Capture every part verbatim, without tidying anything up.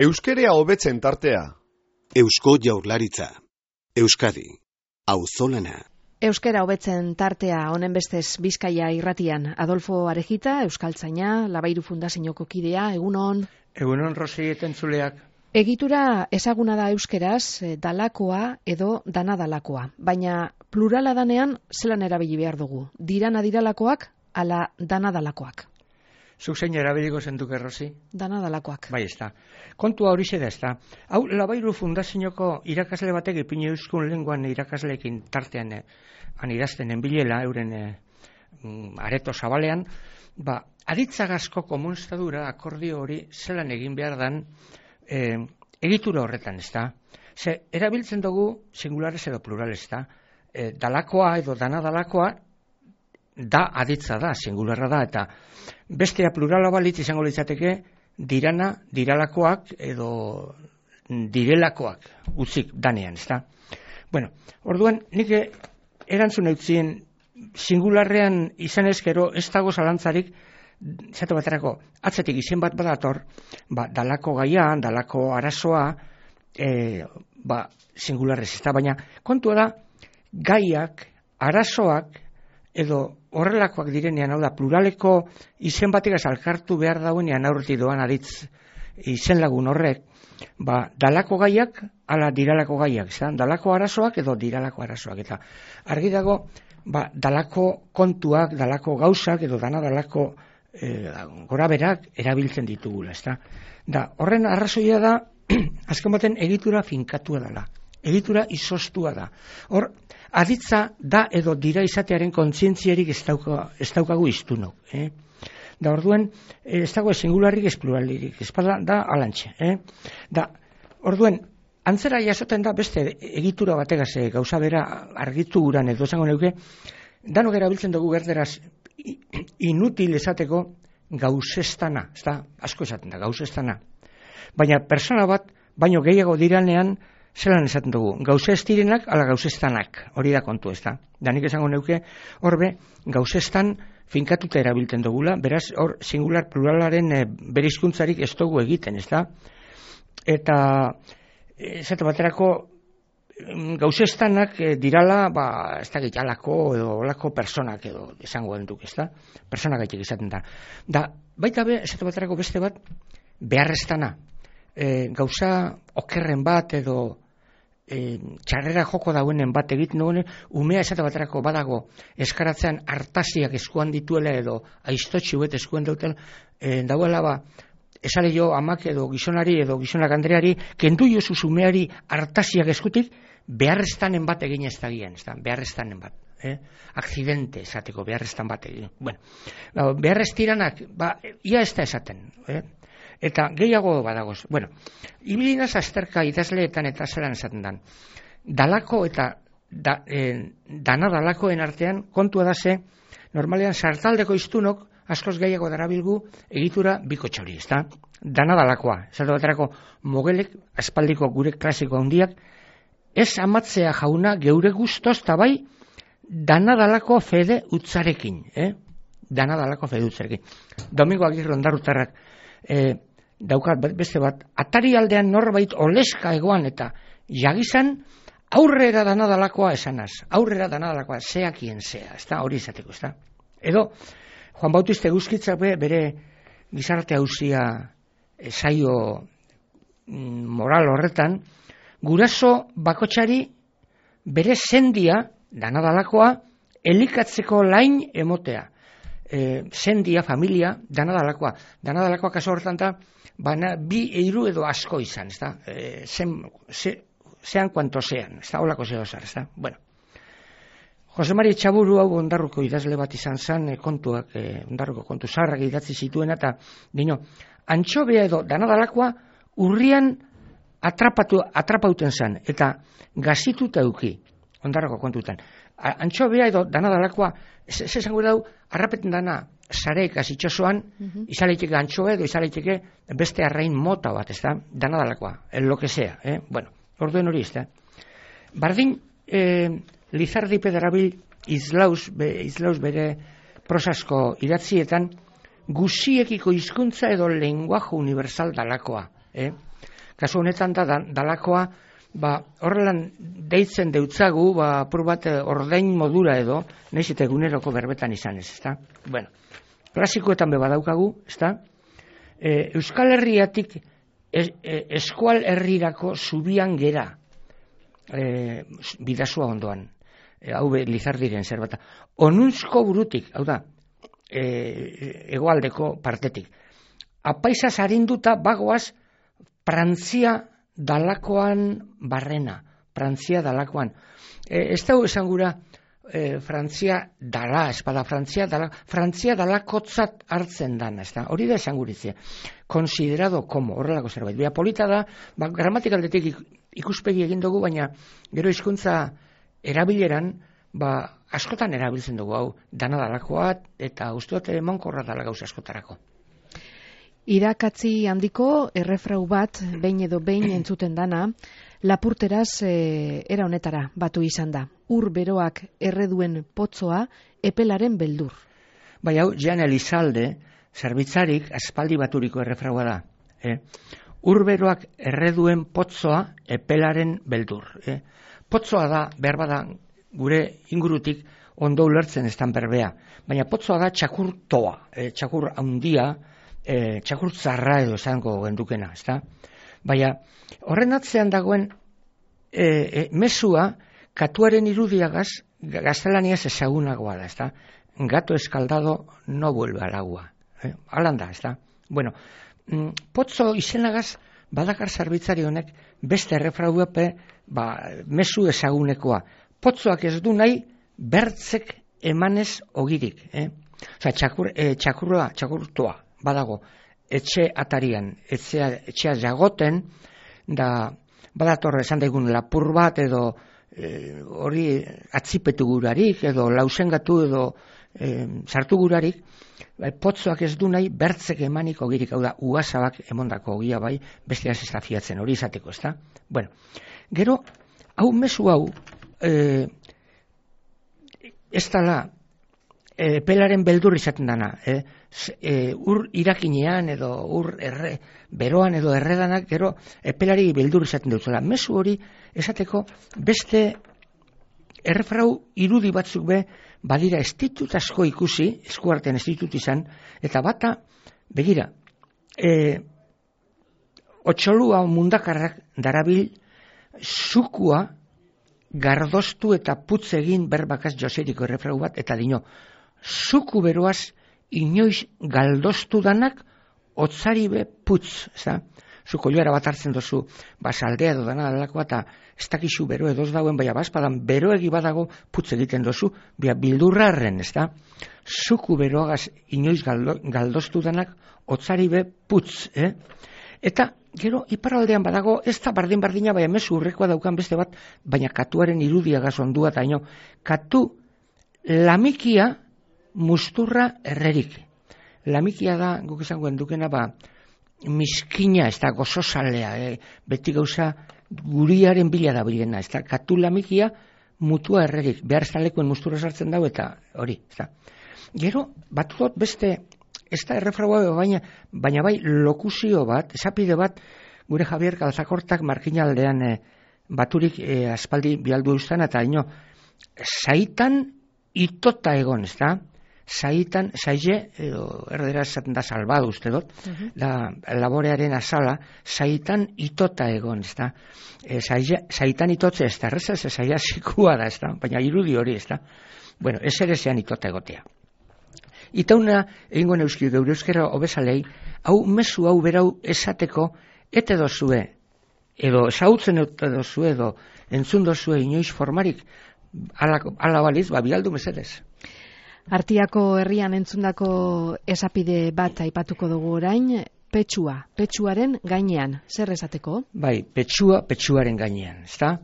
Euskerea hobetzen tartea. Eusko Jaurlaritza. Euskadi. Auzolana. Euskera hobetzen tartea honen bestez Bizkaia irratian. Adolfo Arejita, euskaltzaina, Labairu Fundazioko kidea, egunon. Egunon, Rosi etentzuleak. Egitura ezaguna da euskeraz, dalakoa edo dana dalakoa. Baina plurala danean zelan erabili behar dugu. Dirana diralakoak, ala dana dalakoak. Zuk zein erabiliko zentuke, Rosi? Dana dalakoak. Bai, ez da. Kontua hori da, ez da. Hau, Labairu Fundazioko irakasle batek ipini euskun lenguan irakasleekin tartean eh, han idazten enbilela, euren eh, areto zabalean, ba, aditzagazko komunstadura akordio hori zelan egin behar dan eh, egitura horretan, ez da. Ze, erabiltzen dugu singulares edo plurales, da. Eh, dalakoa edo dana dalakoa da aditza da, singularra da, eta bestea plurala balitz izango litzateke dirana, diralakoak edo direlakoak utzik danean, ez da. Bueno, orduan, nik erantzun eutzien singularrean izan ezkero ez dago zalantzarik, zatu baterako, atzetik izen bat badator, ba, dalako gaia, dalako arazoa, e, ba, singularrez, ez da, baina kontua da, gaiak, arazoak, edo horrelakoak direnean, hau da, pluraleko izen bategaz alkartu behar dauenean aurreti doan aditz izen lagun horrek, ba, dalako gaiak, ala diralako gaiak, zan, dalako arazoak edo diralako arazoak, eta argi dago, ba, dalako kontuak, dalako gauzak, edo dana dalako e, goraberak erabiltzen ditugula, ez da. Da, horren arrazoia da, azken baten egitura finkatua dela, egitura izostua da. Hor, aditza da edo dira izatearen kontzientziarik ez, dauka, ez daukagu iztunok. Eh? Da orduen, ez dago singularrik ez pluralirik, ez da, da alantxe. Eh? Da, orduen, antzera jasoten da beste egitura bategaz gauza bera argitu guran edo zango neuke, danok erabiltzen dugu gerderaz inutil esateko gauzestana, ez da, asko esaten da, gauzestana. Baina persona bat, baino gehiago diranean, zelan esaten dugu, gauze ez direnak, ala gauzestanak, hori da kontu, ez da. Danik esango neuke, horbe, gauzestan finkatuta erabiltzen dugula, beraz, hor, singular pluralaren e, berizkuntzarik ez dugu egiten, ez da. Eta, esate baterako, gauzestanak e, dirala, ba, ez da gitalako edo olako personak edo esango duk, ez da. Personak gaitek izaten da. Da, baita be, esate baterako beste bat, beharreztana. E, gauza okerren bat edo e, txarrera joko dauenen bat egiten duen, umea esate baterako badago eskaratzean hartasiak eskuan dituela edo aiztotxi bet eskuan dautela, e, dauela ba, esale jo amak edo gizonari edo gizonak andreari, kendu jozu umeari hartasiak eskutik, beharreztanen bat egin ez dagian, ez da, beharreztanen bat. Eh? Akzidente esateko, beharreztan bat egin. Bueno, beharreztiranak, ba, ia ez da esaten, eh? Eta gehiago badagoz. Bueno, ibilinaz azterka idazleetan eta zelan esaten dan. Dalako eta da, e, dana dalakoen artean kontua da ze, normalean sartaldeko iztunok askoz gehiago darabilgu egitura bikotxa hori, ez da? Dana dalakoa. Zato baterako mogelek, aspaldiko gure klasiko handiak, ez amatzea jauna geure guztoz eta bai dana dalako fede utzarekin. Eh? Dana dalako fede utzarekin. Domingo Agirre Ondarrutarrak eh, daukat beste bat, atari aldean norbait oleska egoan eta jagizan aurrera dana dalakoa esanaz, aurrera dana dalakoa, zeakien zea, ez da, hori izateko, ez da. Edo, Juan Bautista Eguzkitzak be, bere gizarte hauzia e, saio mm, moral horretan, guraso bakotxari bere sendia, dana dalakoa, elikatzeko lain emotea. E, sendia, familia, dana dalakoa. Dana dalakoa kaso horretan da, baina bi eiru edo asko izan, ez da? E, zen, ze, zean kuanto zean, ez da? Olako zeo zar, ez da? Bueno. Jose Mari Txaburu hau Ondarruko idazle bat izan zen, e, kontuak, e, Ondarruko kontu zaharrak idatzi zituen, eta dino, antxobea edo dana dalakoa urrian atrapatu, atrapauten zen, eta gazituta euki, Ondarruko kontutan. Antxobea edo dana dalakoa, ez esango dau, harrapeten dana, zareik azitxosoan, uh-huh. izaleiteke antxoa edo izaleiteke beste arrain mota bat, ez da, dana dalakoa, el lo que sea, eh? Bueno, orduen hori ez da. Bardin, eh, Lizardi Pederabil izlauz, be, izlauz bere prosasko idatzietan, guziekiko hizkuntza edo lenguaje universal dalakoa, eh? Kasu honetan da, dalakoa, ba, horrelan deitzen deutzagu, ba, apur bat ordain modura edo, nahiz eta eguneroko berbetan izan ez, ezta? Bueno, klasikoetan beba daukagu, ezta? E, Euskal Herriatik es, e, eskual herrirako zubian gera, e, bidazua ondoan, e, hau be, Lizardiren zerbata. Onunzko burutik, hau da, e, hegoaldeko partetik. Apaizaz arinduta bagoaz Frantzia dalakoan barrena, Frantzia dalakoan. E, ez dago esan gura e, Frantzia dala, espada Frantzia dala, Frantzia dalakotzat hartzen dana, ez da, hori da esan guritzea. Considerado como, horrelako zerbait. Bia polita da, ba, gramatikaldetik ikuspegi egin dugu, baina gero hizkuntza erabileran, ba, askotan erabiltzen dugu, hau, dana dalakoa, eta uste dut emankorra dala gauza askotarako. Irakatzi handiko errefrau bat, behin edo behin entzuten dana, lapurteraz e, era honetara batu izan da. Ur beroak erreduen potzoa, epelaren beldur. Bai, hau, Jan Elizalde, zerbitzarik aspaldi baturiko errefraua da. Eh? Ur beroak erreduen potzoa, epelaren beldur. Eh? Potzoa da, behar bada, gure ingurutik ondo ulertzen ez dan berbea. Baina potzoa da txakurtoa, eh, txakur handia, E, txakur zarra edo esango gendukena, ezta? Baina, horren atzean dagoen e, e, mesua katuaren irudiagaz gaztelaniaz ezagunagoa da, ezta? Gato eskaldado no vuelve al agua. Eh? Alan da, ezta? Bueno, mm, potzo izenagaz badakar zerbitzari honek beste errefrauepe ba, mesu ezagunekoa. Potzoak ez du nahi bertzek emanez ogirik. Eh? Osa, txakur, e, txakurroa, txakurtoa. Badago, etxe atarian, etxea, etxea jagoten, da badatorre esan daigun lapur bat edo e, hori atzipetu gurarik edo lausengatu edo e, sartu gurarik, bai, potzoak ez du nahi bertzek emaniko girik, hau da, uazabak emondako ogia bai, beste ez fiatzen hori izateko, ezta? Bueno, gero, hau mesu hau, e, ez dala, E, pelaren beldur izaten dana, eh? e, ur irakinean edo ur erre, beroan edo erredanak gero epelari beldur izaten dutzela. Mezu hori esateko beste errefrau irudi batzuk be badira estitut asko ikusi, eskuartean estitut izan, eta bata, begira, e, otxolua mundakarrak darabil zukua gardoztu eta putz egin berbakaz joseriko errefrau bat, eta dino, zuku beroaz inoiz galdoztu danak otzari be putz, ezta? Zuko joara bat hartzen dozu, basaldea edo dana dalakoa, eta ez dakizu bero edoz dauen, baina bazpadan beroegi badago putz egiten dozu, bia bildurrarren, ezta? Zuku beroagaz inoiz galdo, galdoztu danak otzari be putz, eh? Eta gero iparraldean badago, ez da bardin-bardina, baina mezu urrekoa daukan beste bat, baina katuaren irudiagaz ondua, eta ino, katu lamikia musturra errerik. Lamikia da, guk izango endukena, ba, miskina, ez da, gozozalea, eh? Beti gauza guriaren bila da bilena, ez da, katu lamikia mutua errerik, behar ez da lekuen musturra sartzen dau, eta hori, ez da. Gero, bat dut beste, ez da errefraua, baina, baina bai lokuzio bat, esapide bat, gure Javier Galzakortak markinaldean eh, baturik eh, aspaldi bialdu eustan, eta ino, zaitan itota egon, ez da? Zaitan, zaile, edo erdera esaten da salbadu uste dut, uh-huh. Da laborearen azala, zaitan itota egon, ez da? E, zaitan itotze ez da, erreza ez zaila zikua da, ez da? Baina irudi hori, ez da? Bueno, ez ere zean itota egotea. Itauna, egingo neuski geure euskera obezalei, hau mesu hau berau esateko, ete dozue, edo esautzen ete dozue, edo entzun dozue inoiz formarik, ala, ala baliz, ba, bialdu mesedez. Artiako herrian entzundako esapide bat aipatuko dugu orain, petsua, petsuaren gainean, zer esateko? Bai, petsua, petsuaren gainean, ezta?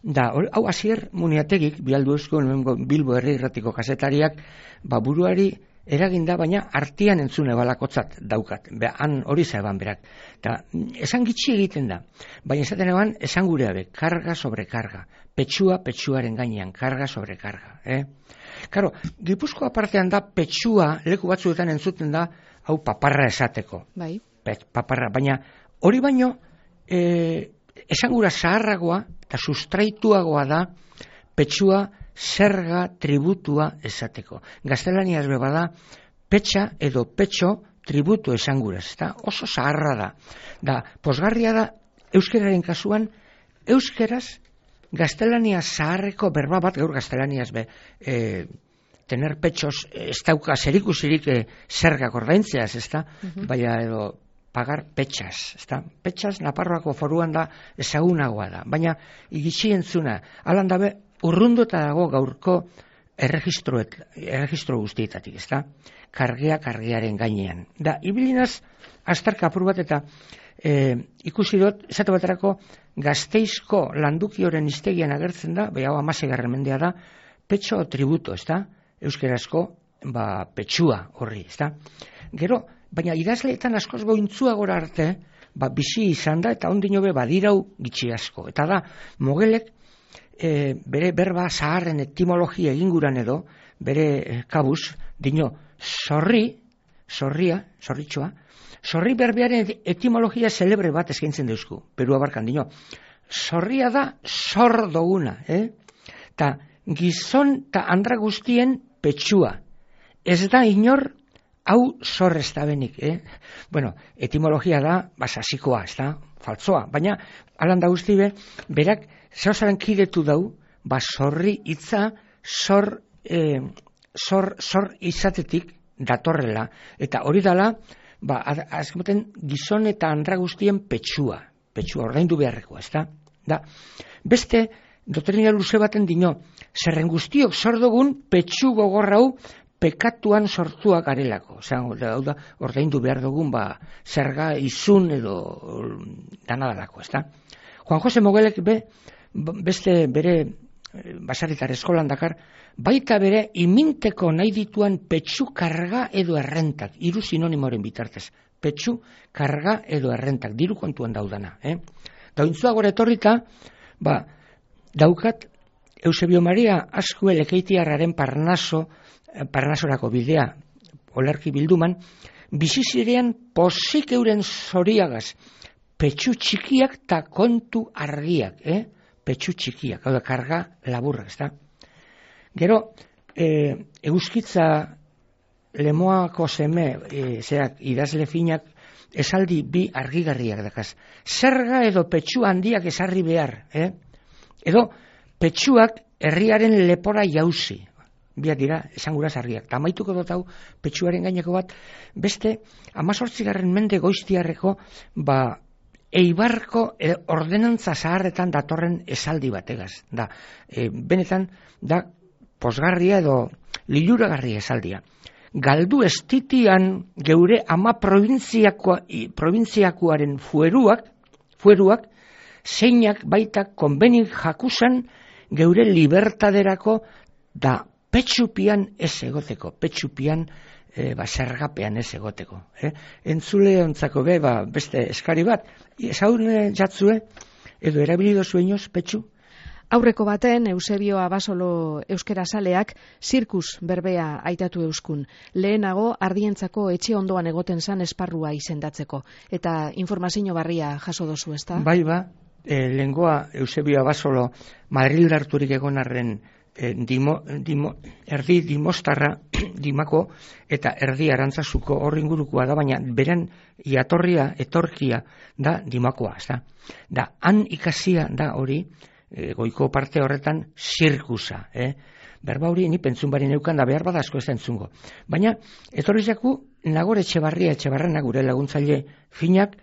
Da, hau hasier muniategik, bialdu eusko, Bilbo herri irratiko kazetariak, ba, buruari eraginda, baina artian entzune balakotzat daukat, be, han hori zaeban berak. Da, esan gitxi egiten da, baina esaten eban, esan gureabe, karga sobre karga, petsua, petsuaren gainean, karga sobre karga, eh? Karo, Gipuzkoa partean da petsua, leku batzuetan entzuten da, hau paparra esateko. Bai. Pet, paparra, baina hori baino e, esangura zaharragoa eta sustraituagoa da petsua zerga tributua esateko. Gaztelaniaz beba da petxa edo petxo tributu esanguraz, eta oso zaharra da. Da, posgarria da euskeraren kasuan, euskeraz gaztelania zaharreko berba bat, gaur gaztelaniaz be, e, tener petxos ez dauka zerikusirik e, zergak ordaintzeaz, ez da? Uh-huh. Baina edo pagar petxas, ez da? Petxas Naparroako foruan da ezagunagoa da, baina igitsi entzuna, alan dabe urrunduta dago gaurko erregistroet, erregistro guztietatik, ez da? Kargea kargearen gainean. Da, ibilinaz, astarka apur bat eta e, ikusi dut, esate baterako Gasteizko landukioren hiztegian agertzen da, bai hau amasegarren mendea da, petxo tributo, ez da? Euskerazko, ba, petxua horri, ez da? Gero, baina idazleetan askoz gointzua gora arte, ba, bizi izan da, eta ondino be badirau gitxi asko. Eta da, Mogelek, e, bere berba zaharren etimologia eginguran edo, bere e, kabuz, dino, zorri, zorria, zorritxoa, zorri berbearen etimologia celebre bat eskaintzen deuzku, Perua barkan dino. Zorria da zor doguna, eh? Ta gizon ta andra guztien petxua. Ez da inor hau zor ez da benik, eh? Bueno, etimologia da basasikoa, ez da, faltzoa, baina alan da guzti be, berak zeozaren kidetu dau, ba zorri hitza zor, eh, zor, zor izatetik datorrela, eta hori dala, ba, azkemoten gizon eta andra guztien petxua, petxua, ordaindu beharrekoa, ez da? Da, beste, doktrina luze baten dino, zerren guztiok zordogun petxu gogorrau pekatuan sortuak garelako, hau da, ordaindu behar dugun, ba, zerga izun edo danadalako, ez da? Juan Jose Mogelek be, beste bere basaritar eskolan dakar, baita bere iminteko nahi dituan petxu karga edo errentak, hiru sinonimoren bitartez, petxu karga edo errentak, diru kontuan daudana. Eh? Dauntzua gora etorrita, ba, daukat Eusebio Maria Azkue Lekeitiarraren Parnaso, Parnasorako bidea, olerki bilduman, bizizirean posik euren zoriagaz, petxu txikiak ta kontu argiak, eh? Petxu txikiak, hau da, karga laburrak, ez da? Gero, e, euskitza lemoako seme, e, zerak, idazle finak, esaldi bi argigarriak dakaz. Zerga edo petxu handiak esarri behar, eh? Edo, petxuak herriaren lepora jauzi. Biak dira, esanguraz argiak. Ta amaituko dut hau, petxuaren gaineko bat, beste, amazortzigarren mende goiztiarreko, ba, Eibarko e, ordenantza zaharretan datorren esaldi bategaz. Da, e, benetan, da, posgarria edo liluragarria esaldia. Galdu estitian geure ama provintziakoaren fueruak, fueruak, zeinak baita konbenik jakusan geure libertaderako da petxupian ez egoteko, petxupian e, ba, zergapean ez egoteko. Eh? Entzule ontzako be, ba, beste eskari bat, ezaune jatzue, edo erabilido zueñoz, petxu? Aurreko baten, Eusebio Abasolo euskera saleak zirkus berbea aitatu euskun. Lehenago, ardientzako etxe ondoan egoten zan esparrua izendatzeko. Eta informazio barria jaso dozu, ezta? Bai ba, e, lengoa Eusebio Abasolo Madrilda harturik egonarren e, dimo, dimo, erdi dimostarra dimako eta erdi arantzazuko horri ingurukoa da, baina beren jatorria, etorkia da dimakoa, ezta? Da, han ikasia da hori, E, goiko parte horretan zirkusa, eh? Berba hori ni pentsun bari neukan da behar badazko ez da entzungo. Baina, etorri zaku, Nagore Etxebarria Etxebarrena gure laguntzaile finak,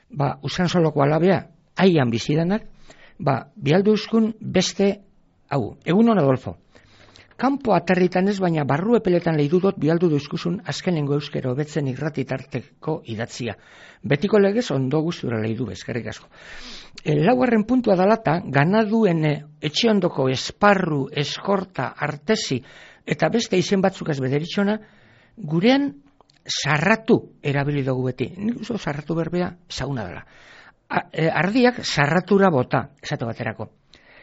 ba, usan soloko alabea, haian bizidanak, ba, bialdu euskun beste, hau, egun hon Adolfo. Kanpo aterritan ez, baina barru epeletan lehidu dut bialdu duzkuzun azkenengo euskero betzen irratitarteko idatzia. Betiko legez ondo guztura lehidu bezkerrik asko. E, laugarren puntua dalata, ganaduen etxe ondoko esparru, eskorta, artesi eta beste izen batzuk ez bederitxona, gurean sarratu erabili dugu beti. Nik uso sarratu berbea zauna dela. A, e, ardiak sarratura bota, esate baterako.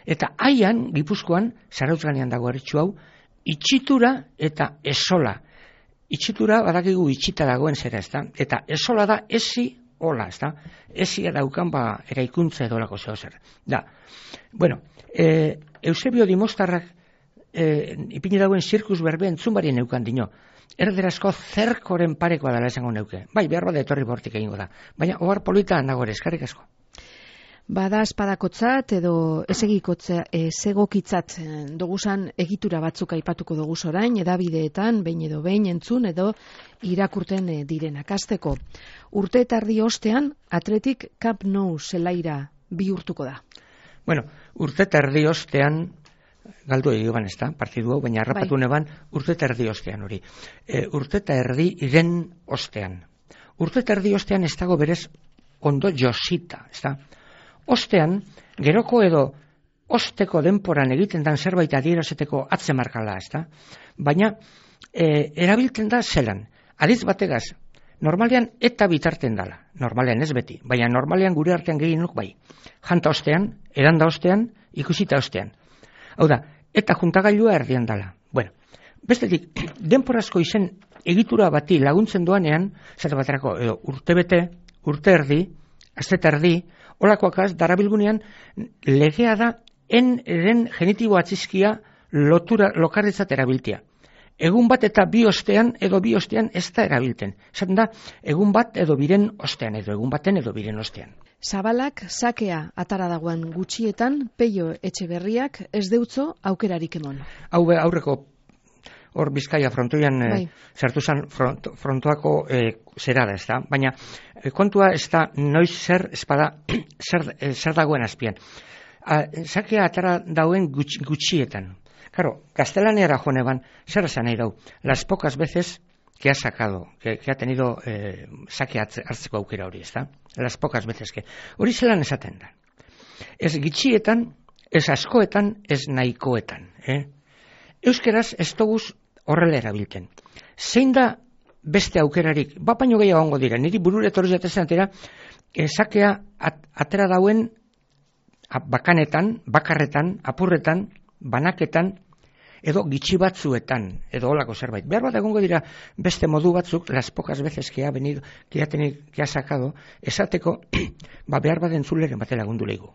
Eta haian, Gipuzkoan, Zarautz ganean dago eritxu hau, itxitura eta esola. Itxitura badakigu itxita dagoen zera, ez da? Eta esola da esi hola, ez da? Ezia daukan, ba, eraikuntza edo lako zeo zer. Da, bueno, e, Eusebio Dimostarrak e, ipini dauen zirkus berbe entzun barien neukan dino. Erderazko zerkoren parekoa dela esango neuke. Bai, behar bada etorri bortik egingo da. Baina, ohar polita nago ere, eskarrik asko. Bada espadakotzat edo esegokitzat doguzan egitura batzuk aipatuko doguz orain, edabideetan, behin edo behin entzun edo irakurten direnak. Hasteko, urte eta erdi ostean, Atletik Camp Nou zelaira bihurtuko da. Bueno, urte eta erdi ostean, galdu egiban ez da, partidu hau, baina harrapatu bai. Neban urte eta erdi ostean hori. E, urte eta erdi iren ostean. Urte eta erdi ostean ez dago berez ondo josita, ez da? Ostean, geroko edo osteko denporan egiten dan zerbait adierazteko atzemarkala, ez da? Baina, e, erabiltzen da zelan. Adiz bategaz, normalean eta bitarten dala. Normalean ez beti, baina normalean gure artean gehienok bai. Janta ostean, edanda ostean, ikusita ostean. Hau da, eta juntagailua erdian dala. Bueno, bestetik, denporazko izen egitura bati laguntzen doanean, zer baterako, edo urtebete, urte erdi, azte erdi, olakoakaz, darabilgunean, legea da, en eren genitibo atzizkia lotura, lokarritzat erabiltia. Egun bat eta bi ostean, edo bi ostean ez da erabilten. Zaten da, egun bat edo biren ostean, edo egun baten edo biren ostean. Zabalak sakea atara dagoen gutxietan, Peio Etxeberriak ez deutzo aukerarik emon. Hau aurreko hor Bizkaia frontoian bai. e, sartu zen front, frontoako e, zera da, ez da? Baina e, kontua ez da noiz zer espada zer, e, zer dagoen azpian. A, sakea atara dauen gutxi, gutxietan. Claro, gaztelaneara joaneban, zer esan nahi dau? Las pocas veces que ha sacado, que, que ha tenido eh, sake hartzeko aukera hori, ez da? Las pocas veces que. Hori zelan esaten da. Ez gitxietan, ez askoetan, ez nahikoetan. Eh? Euskeraz ez doguz horrela erabilten. Zein da beste aukerarik, bat baino gehiago ongo dira, niri burure etorri jatezen atera, eh, sakea at, atera dauen bakanetan, bakarretan, apurretan, banaketan, edo gitxi batzuetan, edo holako zerbait. Behar bat egongo dira beste modu batzuk, las pocas veces que ha venido, que ha tenido, que ha sacado, esateko, ba behar bat entzuleren batera lagundu leigu.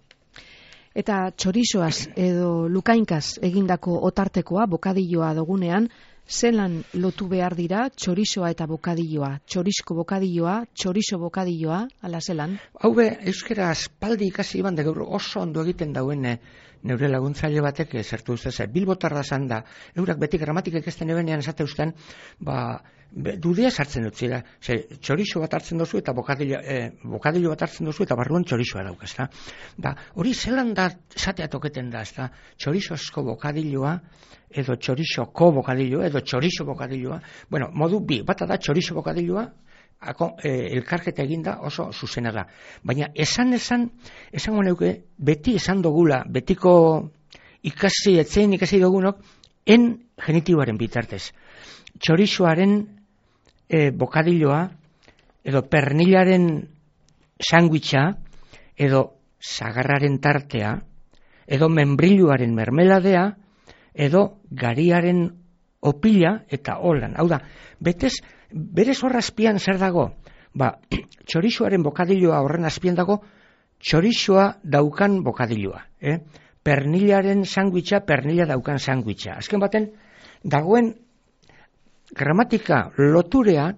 Eta txorizoaz edo lukainkaz egindako otartekoa, bokadilloa dugunean, zelan lotu behar dira txorizoa eta bokadilloa? Txorizko bokadilloa, txorizo bokadilloa, ala zelan? Hau be, euskera aspaldi ikasi iban, de gaur oso ondo egiten dauen eh, neure laguntzaile batek zertu ustez, bilbotarra zan da, eurak beti gramatikek ez den ebenean esate ustean, ba, be, dudea sartzen dut zira, ze, txorizo bat hartzen dozu eta bokadillo, eh, bokadillo bat hartzen dozu eta barruan txorizoa dauk, ez da? Ba, hori zelan da esatea toketen da, ez da? Txorizozko bokadilloa, edo txorizoko bokadilloa, edo txorizo bokadilloa, bueno, modu bi, bata da txorizo bokadilloa, Ako, eh, elkarketa eginda oso zuzena da. Baina esan esan, esango neuke, beti esan dogula, betiko ikasi, etzein ikasi dogunok, en genitiboaren bitartez. Txorizoaren eh, bokadilloa, edo pernilaren sandwicha, edo sagarraren tartea, edo membrilluaren mermeladea, edo gariaren opila eta holan. Hau da, betez, berez horra azpian zer dago? Ba, txorizoaren bokadilloa horren azpian dago, txorizoa daukan bokadilloa. Eh? Pernilaren sandwicha, pernila daukan sandwicha. Azken baten, dagoen gramatika loturea,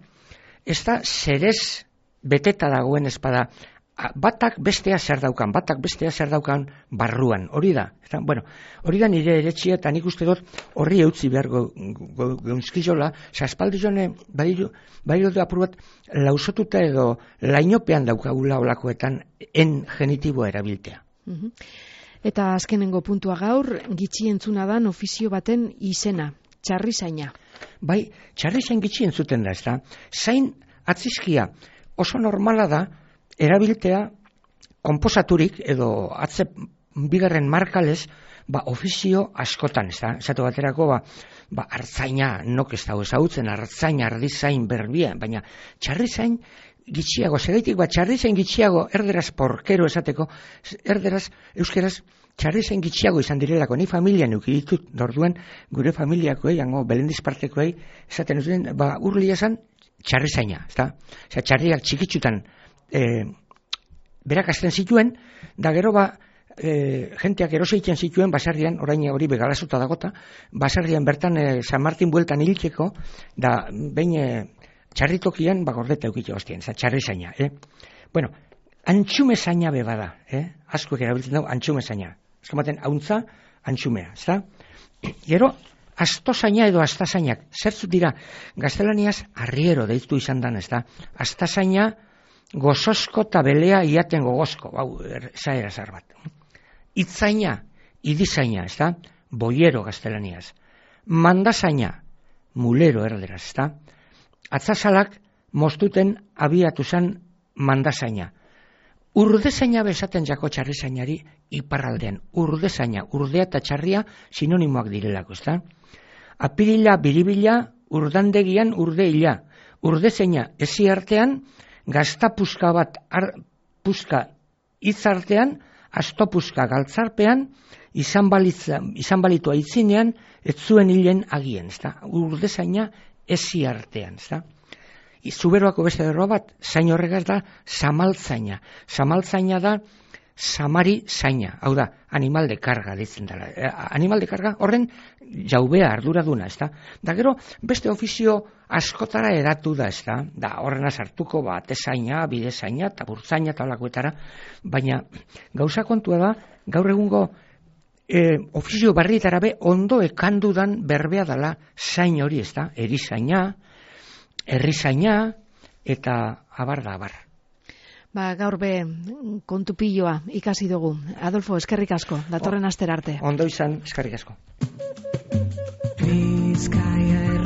ez da zerez beteta dagoen espada, batak bestea zer daukan, batak bestea zer daukan barruan, hori da. Eta, bueno, hori da nire eretxia, eta nik uste dut horri eutzi behar geunzkizola, zaspaldi jone, badiru, badiru da apur bat, lausotuta edo lainopean daukagula olakoetan en genitiboa erabiltea. Uh-huh. Eta azkenengo puntua gaur, gitxi entzuna dan ofizio baten izena, txarrizaina. Bai, txarrizain gitxi entzuten da, ez da? Zain atzizkia oso normala da, erabiltea konposaturik edo atze bigarren markalez, ba, ofizio askotan, ez da? Esatu baterako, ba, ba, artzaina nok ez dago ezagutzen, artzaina, ardizain, berbia, baina txarrizain gitxiago, segaitik, ba, txarrizain gitxiago, erderaz porkero esateko, erderaz, euskeraz, txarrizain gitxiago izan direlako, ni familian eukiditut, dorduen, gure familiakoei, hango, belendizpartekoei, esaten uzien, ba, urlia esan, txarrizaina, ez da? Osea, txarriak txikitsutan e, berak azten zituen, da gero ba, e, jenteak eroseiten zituen, baserrian, orain hori begalazuta dagota, baserrian bertan e, San Martin bueltan hiltzeko, da behin e, txarritokian, ba gordeta eukitxe hostien, za txarri zaina, eh? Bueno, antxume zaina beba da, eh? Askoek erabiltzen dago antxume zaina. Eskamaten, hauntza, antxumea, ez da? Gero, astozaina edo astazainak, zertzut dira, gaztelaniaz arriero deitu izan dan, ez da? Astazaina, gozosko eta belea iaten gogozko, hau, zaera zar bat. Itzaina, idizaina, ez da? Boiero gaztelaniaz. Mandazaina, mulero erderaz, ez da? Atzazalak mostuten abiatu zen mandazaina. Urdezaina bezaten jako txarrizainari iparraldean. Urdezaina, urdea eta txarria sinonimoak direlako, ez da? Apirila, biribila, urdandegian urdeila. Urdezaina ezi artean, gaztapuska bat ar, puska hitzartean, astopuska galtzarpean, izan, balitza, izan balitua itzinean, ez zuen hilen agien, ez da? Urdezaina ezi artean, ez da? Zuberoako beste derroa bat, zain horregaz da, zamaltzaina. Zamaltzaina da, samari zaina. Hau da, animal de karga ditzen dela. Eh, animal de karga horren jaubea arduraduna, ez da? Da gero, beste ofizio askotara eratu da, ez da? Da, horrena sartuko, ba, atezaina, bidezaina, eta burtzaina, eta olakoetara. Baina, gauza kontua da, gaur egungo eh, ofizio barrietara be, ondo ekandudan berbea dela zain hori, ez da? Erizaina, herrizaina, eta abar da abar. Ba, gaur be kontupilloa ikasi dugu. Adolfo, eskerrik asko, datorren astera arte. Ondo izan, eskerrik asko. Bizkaia